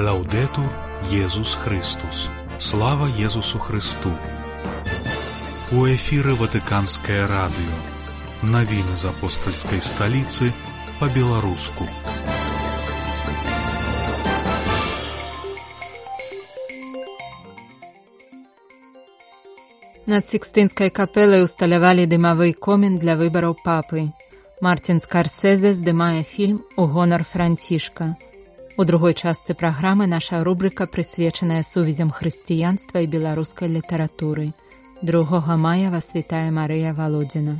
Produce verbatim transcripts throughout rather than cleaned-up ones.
Лаўдэтур Езус Христус. Слава Езусу Христу. У эфіры Ватыканскае радыё. Навіны з апостальскай сталіцы па-беларуску. Над Сікстынскай капелай усталявалі дымавы комін для выбараў папы. Мартін Скарсезе здымае фільм у гонар Францішка. У другой частцы праграмы наша рубрыка прысвечаная сувязям хрысціянства і беларускай літаратуры. другога мая вас вітае Марыя Валодзіна.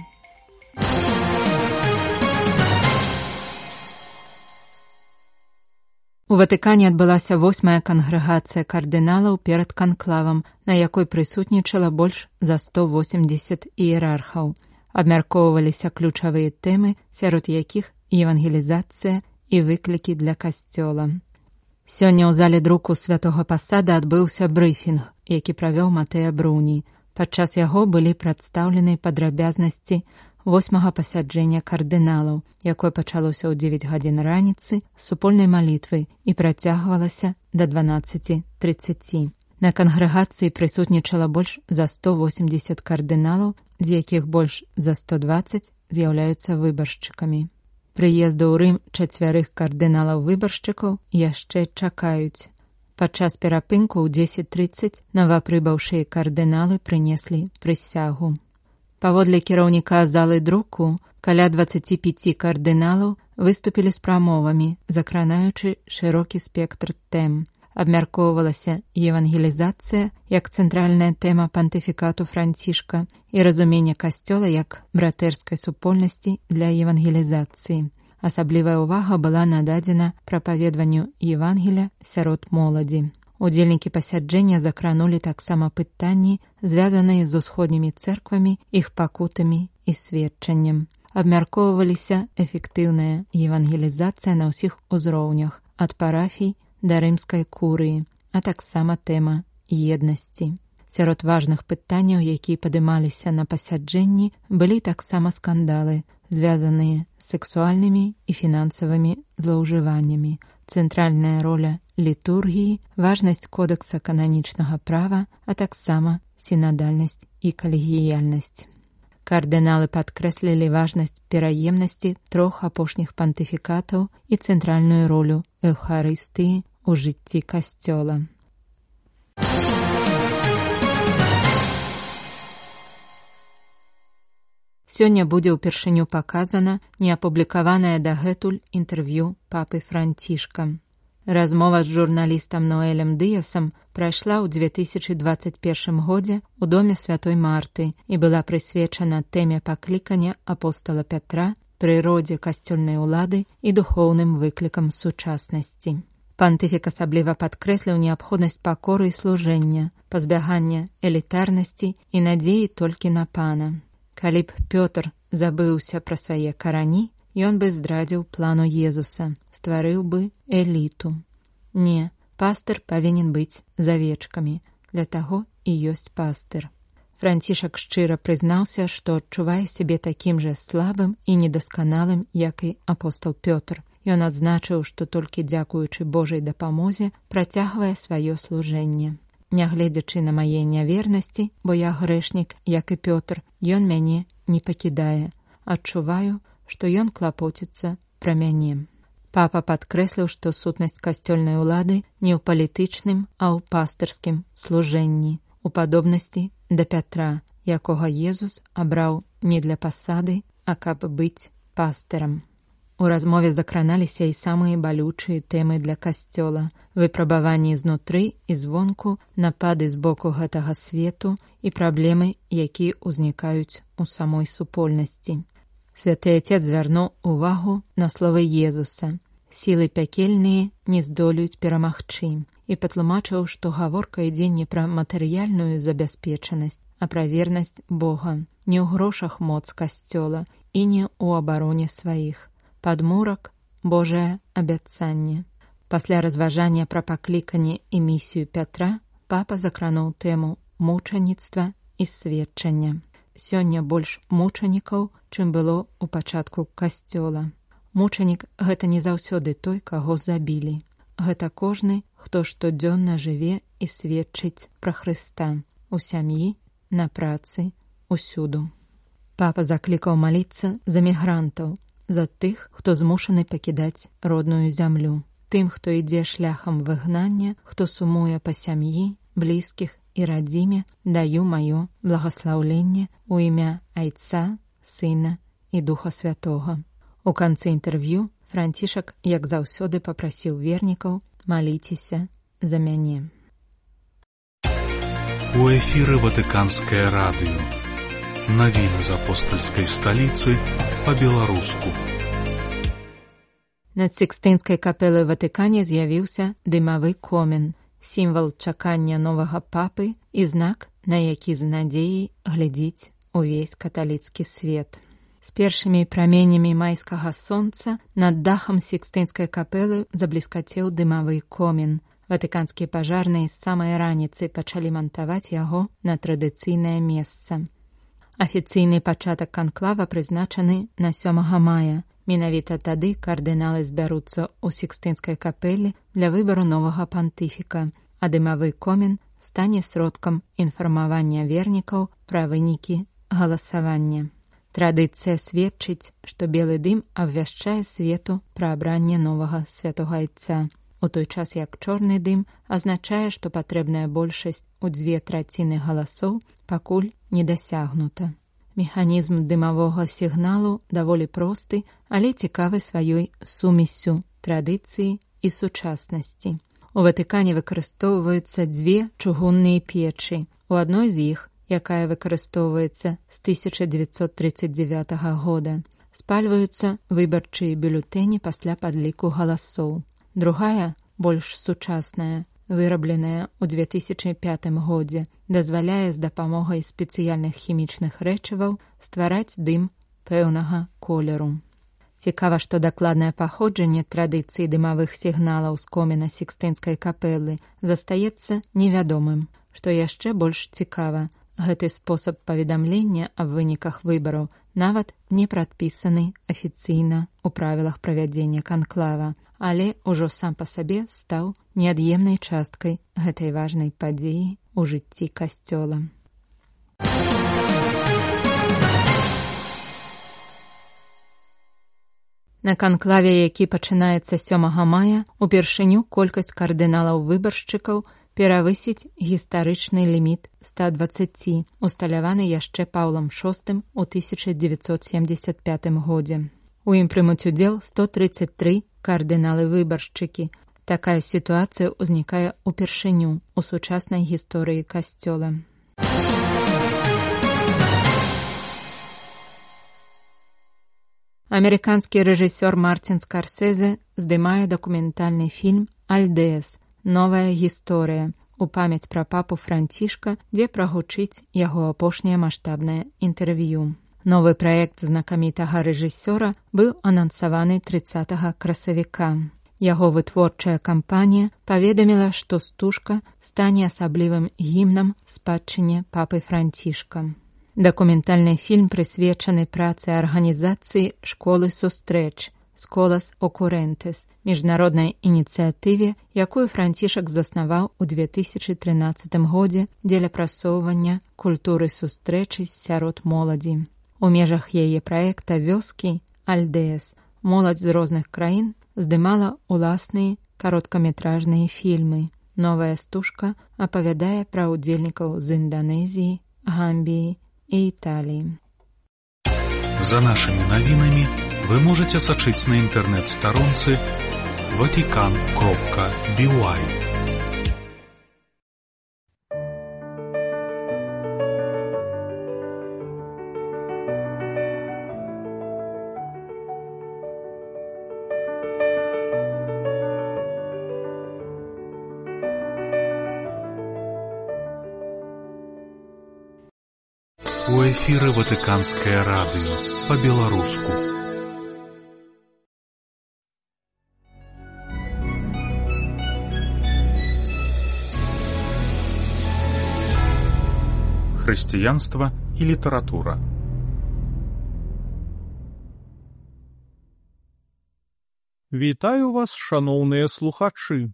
У Ватыкане адбылася восьмая кангрэгацыя кардыналаў перад канклавам, на якой прысутнічала больш за сто восемдзесят іерархаў. Абмяркоўваліся ключавыя тэмы, сярод якіх евангелізацыя і выклікі для касцёла. Сёння ў зале друку святога пасада адбыўся брыфінг, які правёў Матэа Бруні. Падчас яго былі прадстаўлены падрабязнасці восьмага пасяджэння кардыналаў, якое пачалося ў дзевяць гадзін раніцы з супольнай малітвы і працягвалася да дванаццаці трыццаці. На кангрэгацыі прысутнічала больш за сто восемдзесят кардыналаў, з якіх больш за сто дваццаць з'яўляюцца выбаршчыкамі. Прыезду ў Рым чацвярых кардыналаў-выбаршчыкаў яшчэ чакаюць. Падчас перапынку ў дзесяць трыццаць новапрыбыўшыя кардыналы прынеслі прысягу. Паводле кіраўніка залы друку, каля дваццаці пяці кардыналаў выступілі з прамовамі, закранаючы шырокі спектр тэм. Абмяркоўвалася евангелізацыя як цэнтральная тэма пантыфікату Францішка і разуменне касцёла як братэрскай супольнасці для евангелізацыі. Асаблівая ўвага была нададзена прапаведванню Евангеля сярод моладзі. Удзельнікі пасяджэння закранулі таксама пытанні, звязаныя з усходнімі цэрквамі, іх пакутамі і сведчаннем. Абмяркоўваліся эфектыўная евангелізацыя на ўсіх узроўнях, ад парафій да рымскай курыі, а таксама тэма еднасці. Сярод важных пытанняў, якія падымаліся на пасяджэнні, былі таксама скандалы, звязаныя з сексуальнымі і фінансавымі злоўжываннямі, цэнтральная роля літургіі, важнасць кодэкса кананічнага права, а таксама сінадальнасць і калегіяльнасць. Кардыналы падкрэслілі важнасць пераемнасці трох апошніх пантыфікатаў і цэнтральную ролю эўхарыстыі у жыцці касцёла. Сёння будзе ўпершыню паказана неапублікаванае дагэтуль інтэрв'ю папы Францішка. Размова з журналістам Ноэлем Дыясам прайшла ў две тысячы дваццаць першым годзе ў доме святой Марты і была прысвечана тэме паклікання апостола Пятра, прыродзе касцёльнай улады і духоўным выклікам сучаснасці. Пантыфік асабліва падкрэсліў неабходнасць пакоры і служэння, пазбягання элітарнасці і надзеі толькі на пана. Калі б Пётр забыўся пра свае карані, ён бы здрадзіў плану Езуса, стварыў бы эліту. Не, пастыр павінен быць з авечкамі, для таго і ёсць пастыр. Францішак шчыра прызнаўся, што адчувае сябе такім жа слабым і недасканалым, як і апостол Пётр. Ён адзначыў, што толькі дзякуючы Божай дапамозе працягвае сваё служэнне. Нягледзячы на мае нявернасці, бо я грэшнік, як і Пётр, ён мяне не пакідае. Адчуваю, што ён клапоціцца пра мяне. Папа падкрэсліў, што сутнасць касцёльнай улады не ў палітычным, а ў пастырскім служэнні, у падобнасці да Пятра, якога Езус абраў не для пасады, а каб быць пастырам. У размове закраналіся і самыя балючыя тэмы для касцёла, выпрабаванні знутры і звонку, напады з боку гэтага свету і праблемы, якія ўзнікаюць у самой супольнасці. Святы Отец звярнуў увагу на словы Езуса. Сілы пякельныя не здолеюць перамагчы і патлумачыў, што гаворка ідзе не пра матэрыяльную забяспечанасць, а пра вернасць Бога, не ў грошах моц касцёла і не ў абароне сваіх. Падмурак – Божае абяцанне. Пасля разважання пра пакліканне і місію Пятра, папа закрануў тэму мучаніцтва і сведчання. Сёння больш мучанікаў, чым было ў пачатку касцёла. Мучанік – гэта не заўсёды той, каго забілі. гэта кожны, хто штодзённа жыве і сведчыць пра Хрыста у сям'і, на працы, усюду. Папа заклікаў маліцца за мігрантаў, за тых, хто змушаны пакідаць родную зямлю, тым, хто ідзе шляхам выгнання, хто сумуе па сям'і, блізкіх і радзіме, даю маё благаслаўленне ў імя Айца, Сына і Духа Святога. У канцы інтэрв'ю Францішак, як заўсёды, папрасіў вернікаў: «Маліцеся за мяне». У эфіры Ватыканскае радыё. Навіны з апостальскай сталіцы па-беларуску. Над Сікстынскай капелай Ватыкане з'явіўся дымавы комін, сімвал чакання новага папы і знак, на які з надзеяй глядзіць увесь каталіцкі свет. З першымі праменямі майскага сонца над дахам Сікстынскай капелы забліскацеў дымавы комін. Ватыканскія пажарныя з самай раніцы пачалі мантаваць яго на традыцыйнае месца. Афіцыйны пачатак канклава прызначаны на сёмага мая. Менавіта тады кардыналы збяруцца ў Сікстынскай капелі для выбару новага пантыфіка, а дымавы комін стане сродкам інфармавання вернікаў пра вынікі галасавання. Традыцыя сведчыць, што белы дым абвяшчае свету пра абранне новага святога Айца, у той час як чорны дым азначае, што патрэбная большасць у дзве траціны галасоў пакуль не дасягнута. Механізм дымавога сігналу даволі просты, але цікавы сваёй сумессю традыцыі і сучаснасці. У Ватыкане выкарыстоўваюцца дзве чугунныя печы. У адной з іх, якая выкарыстоўваецца з тысяча дзевяцьсот трыццаць дзевятага года, спальваюцца выбарчыя бюлетэні пасля падліку галасоў. Другая, больш сучасная, вырабленая ў две тысячы пятым годзе, дазваляе з дапамогай спецыяльных хімічных рэчываў ствараць дым пэўнага колеру. Цікава, што дакладнае паходжанне традыцыі дымавых сігналаў з коміна Сікстынскай капелы застаецца невядомым. Што яшчэ больш цікава, гэты спосаб паведамлення аб выніках выбараў нават не прадпісаны афіцыйна ў правілах правядзення канклава, але ўжо сам па сабе стаў неад'емнай часткай гэтай важнай падзеі ў жыцці касцёла. На канклаве, які пачынаецца сёмага мая, упершыню колькасць кардыналаў-выбаршчыкаў перавысіць гістарычны ліміт ста дваццаці, усталяваны яшчэ Паўлам шостым у тысяча дзевяцьсот семдзесят пятым годзе. У ім прымуць удзел сто трыццаць тры кардыналы-выбаршчыкі. Такая сітуацыя ўзнікае ўпершыню ў сучаснай гісторыі касцёла. Амерыканскі рэжысёр Мартин Скорсезе здымае дакументальны фільм «Альдеас. Новая гісторыя» у памяць пра папу Францішка, дзе прагучыць яго апошняе маштабнае інтэрв'ю. Новы праект знакамітага рэжысёра быў анансаваны трыццатага красавіка. Яго вытворчая кампанія паведаміла, што стужка стане асаблівым гімнам спадчыне папы Францішка. Дакументальны фільм прысвечаны працы арганізацыі «Школы сустрэч» «Сколас Окурэнтэс», міжнароднай ініцыятыве, якую Францішак заснаваў у две тысячы трынаццатым годзе дзеля прасоўвання культуры сустрэчы сярод моладзі. У межах яе праекта «Вёскі» «Альдеас» моладзь з розных краін здымала ўласныя кароткаметражныя фільмы. Новая стужка апавядае пра ўдзельнікаў з Інданезіі, Гамбіі і Італіі. За нашымі навінамі вы можете сачыць на інтэрнэт-старонцы ватикан кропка би уай. У эфіры Ватыканскае радыё па-беларуску. Хрысціянства і літаратура. Вітаю вас, шаноўныя слухачы.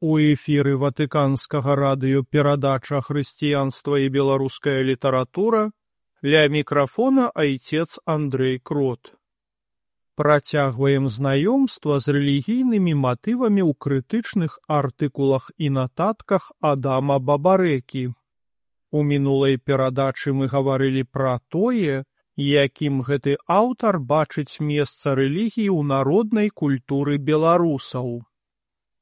У эфіры Ватыканскага радыё перадача «Хрысціянства і беларуская літаратура», ля мікрафона айцец Андрэй Крот. Працягваем знаёмства з рэлігійнымі матывамі ў крытычных артыкулах і нататках Адама Бабарэкі. У мінулай перадачы мы гаварылі пра тое, якім гэты аўтар бачыць месца рэлігіі ў народнай культуры беларусаў.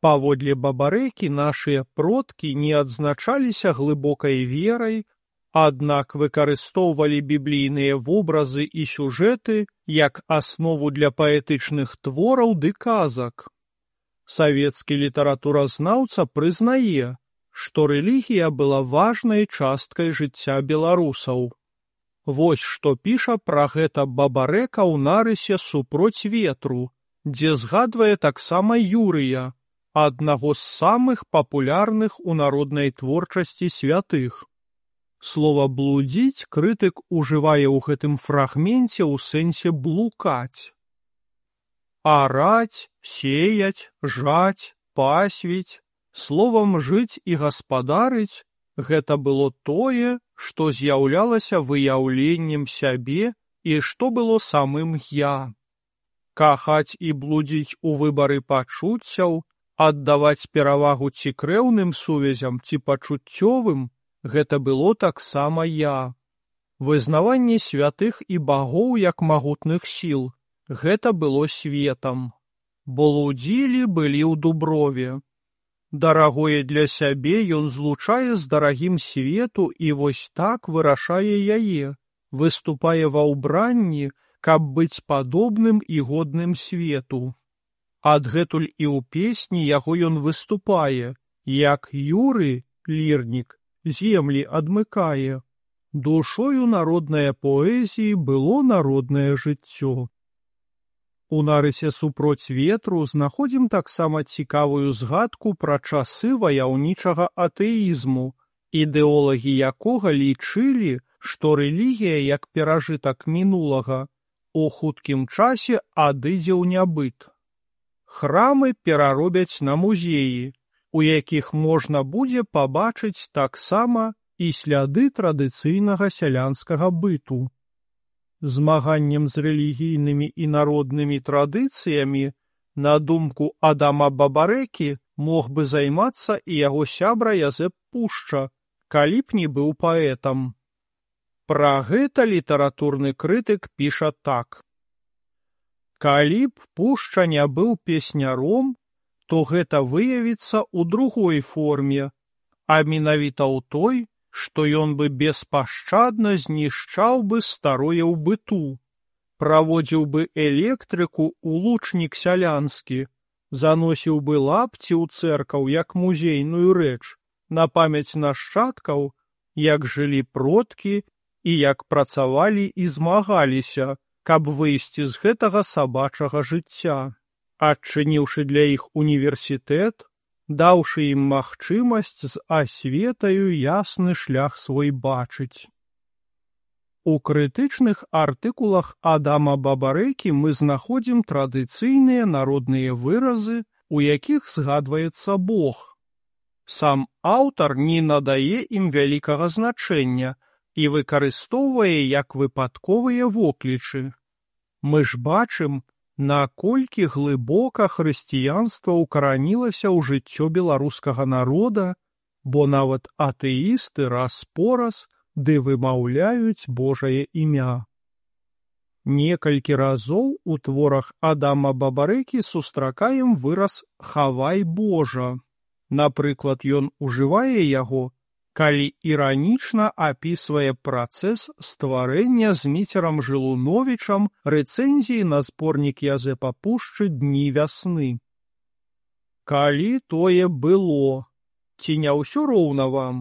Паводле Бабарэкі нашыя продкі не адзначаліся глыбокай верай, аднак выкарыстоўвалі біблійныя вобразы і сюжэты як аснову для паэтычных твораў ды казак. Савецкі літаратуразнаўца прызнае, што рэлігія была важнай часткай жыцця беларусаў. Вось што піша пра гэта Бабарэка ў нарысе «Супроць ветру», дзе згадвае таксама Юрыя, аднаго з самых папулярных у народнай творчасці святых. Слова «блудзіць» крытык ужывае ў гэтым фрагменце ў сэнсе блукаць. Араць, сеяць, жаць, пасвіць, словам жыць і гаспадарыць – гэта было тое, што з'яўлялася выяўленнем сябе і што было самым «я». Кахаць і блудзіць у выбары пачуццяў, аддаваць перавагу ці крэўным сувязям, ці пачуццёвым – гэта было таксама «я». Вызнаванне святых і багоў як магутных сіл – гэта было светам. Блудзілі былі ў дуброве. Дарагое для сябе ён злучае з дарагім свету і вось так вырашае яе, выступае ва ўбранні, каб быць падобным і годным свету. Адгэтуль і ў песні яго ён выступае, як Юры, лірнік, землі адмыкае. Душою народнае паэзіі было народнае жыццё. У нарысе «Супроць ветру» знаходзім таксама цікавую згадку пра часы ваяўнічага атэізму, ідэолагі якога лічылі, што рэлігія, як перажытак мінулага, у хуткім часе адыдзе ў нябыт. Храмы пераробяць на музеі, у якіх можна будзе пабачыць таксама і сляды традыцыйнага сялянскага быту. Змаганнем з рэлігійнымі і народнымі традыцыямі, на думку Адама Бабарэкі, мог бы займацца і яго сябра Язэп Пушча, калі б не быў паэтам. Пра гэта літаратурны крытык піша так. Калі б Пушча не быў песняром, то гэта выявіцца ў другой форме, а менавіта ў той, што ён бы беспашчадна знішчаў бы старое ў быту, праводзіў бы электрыку ў лучнік сялянскі, заносіў бы лапці ў цэркаў як музейную рэч, на памяць нашчадкаў, як жылі продкі і як працавалі і змагаліся, каб выйсці з гэтага сабачага жыцця, адчыніўшы для іх універсітэт, даўшы ім магчымасць з асветаю ясны шлях свой бачыць. У крытычных артыкулах Адама Бабарэкі мы знаходзім традыцыйныя народныя выразы, у якіх згадваецца Бог. Сам аўтар не надае ім вялікага значэння і выкарыстоўвае як выпадковыя воклічы. Мы ж бачым, наколькі глыбока хрысціянства ўкаранілася ў жыццё беларускага народа, бо нават атэісты раз-пораз ды вымаўляюць Божае імя. Некалькі разоў у творах Адама Бабарэкі сустракаем выраз «хавай Божа». Напрыклад, ён ужывае яго, калі іранічна апісвае працэс стварэння Зміцерам Жылуновічам рэцэнзіі на зборнік Язэпа Пушчы «Дні вясны». Калі тое было, ці не ўсё роўна вам?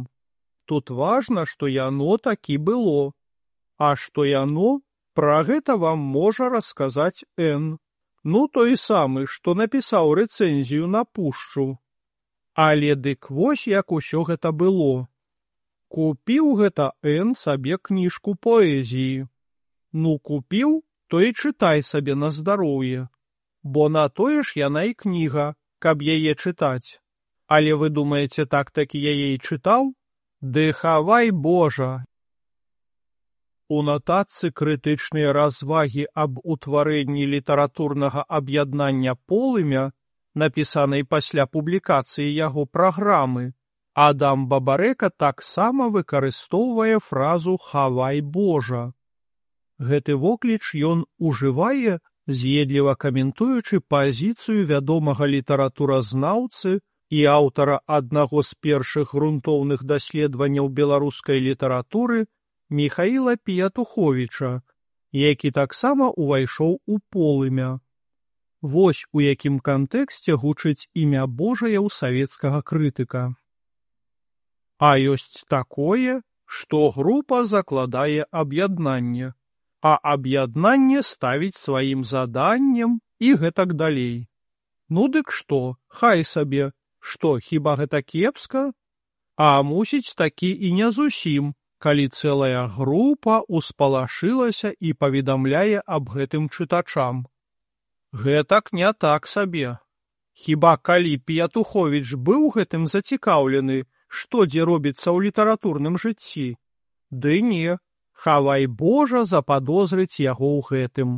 Тут важна, што яно такі было. А што яно, пра гэта вам можа расказаць Н. Ну, той самы, што напісаў рэцэнзію на Пушчу. Але дык вось як усё гэта было. Купіў гэта Н сабе кніжку паэзіі. Ну, купіў, то і чытай сабе на здароўе. бо на тое ж яна і кніга, каб яе чытаць. Але вы думаеце, так-такі яе і чытаў? Ды хавай Божа! У нататцы крытычныя развагі аб утварэнні літаратурнага аб'яднання «Полымя», напісанай пасля публікацыі яго праграмы, Адам Бабарэка таксама выкарыстоўвае фразу «хавай Божа». Гэты вокліч ён ужывае, з'едліва каментуючы пазіцыю вядомага літаратуразнаўцы і аўтара аднаго з першых грунтоўных даследаванняў беларускай літаратуры Міхаіла П'ятуховіча, які таксама ўвайшоў у «Полымя». Вось у якім кантэксце гучыць імя Божае ў савецкага крытыка. А ёсць такое, што група закладае аб'яднанне, а аб'яднанне ставіць сваім заданнем і гэтак далей. Ну дык што, хай сабе, што, хіба гэта кепска? А мусіць такі і не зусім, калі цэлая група ўспалашылася і паведамляе аб гэтым чытачам. Гэтак не так сабе. Хіба калі П'ятуховіч быў гэтым зацікаўлены, што дзе робіцца ў літаратурным жыцці? Ды не, хавай Божа западозрыць яго ў гэтым.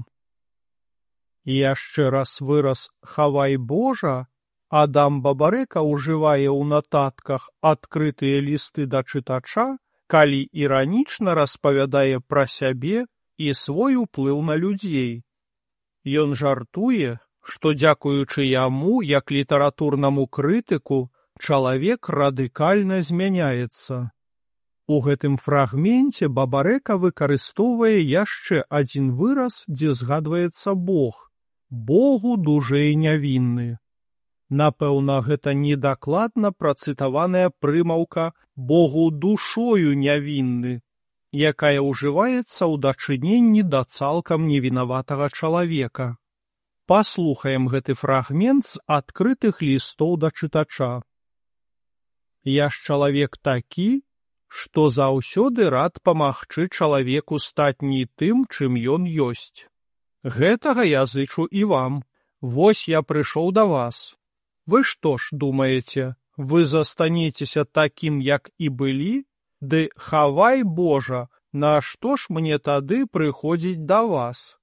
Яшчэ раз выраз «хавай Божа» Адам Бабарэка ўжывае ў нататках адкрытыя лісты да чытача, калі іранічна распавядае пра сябе і свой уплыў на людзей. Ён жартуе, што дзякуючы яму, як літаратурнаму крытыку, чалавек радыкальна змяняецца. У гэтым фрагменце Бабарэка выкарыстоўвае яшчэ адзін выраз, дзе згадваецца Бог. Богу дужэй нявінны. Напэўна, гэта недакладна працытаваная прымаўка «Богу душою нявінны», якая ўжываецца ў дачыненні да цалкам невінаватага чалавека. Паслухаем гэты фрагмент з адкрытых лістоў да чытача. «Я ж чалавек такі, што заўсёды рад памагчы чалавеку стаць не тым, чым ён ёсць. Гэтага я зычу і вам. Вось я прыйшоў да вас. Вы што ж думаеце, вы застанецеся такім, як і былі? Ды хавай Божа, нашто ж мне тады прыходзіць да вас?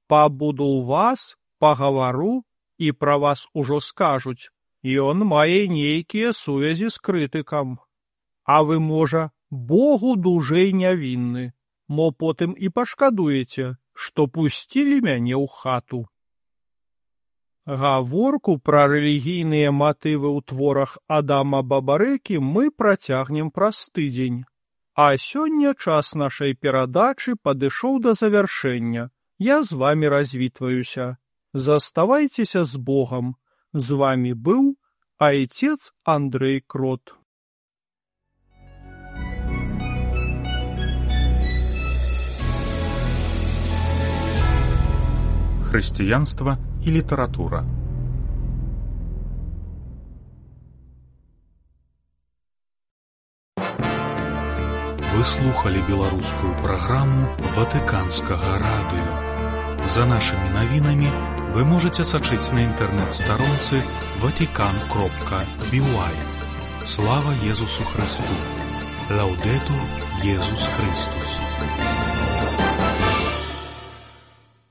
Пабуду ў вас, пагавару, і пра вас ужо скажуць. Ён мае нейкія сувязі з крытыкам. А вы, можа, Богу дужэй нявінны, мо потым і пашкадуеце, што пусцілі мяне ў хату». Гаворку пра рэлігійныя матывы ў творах Адама Бабарэкі мы працягнем праз тыдзень. А сёння час нашай перадачы падышоў да завяршэння. Я з вамі развітваюся. Заставайцеся з Богам. З вамі быў айцец Андрэй Крот. Хрысціянства і літаратура. Вы слухали беларускую праграму Ватыканскага радыё. За нашымі навінамі вы можаце сачыць на інтэрнэт-старонцы ватикан кропка би уай. Слава Езусу Христу! Лаўдэтур Езус Христус!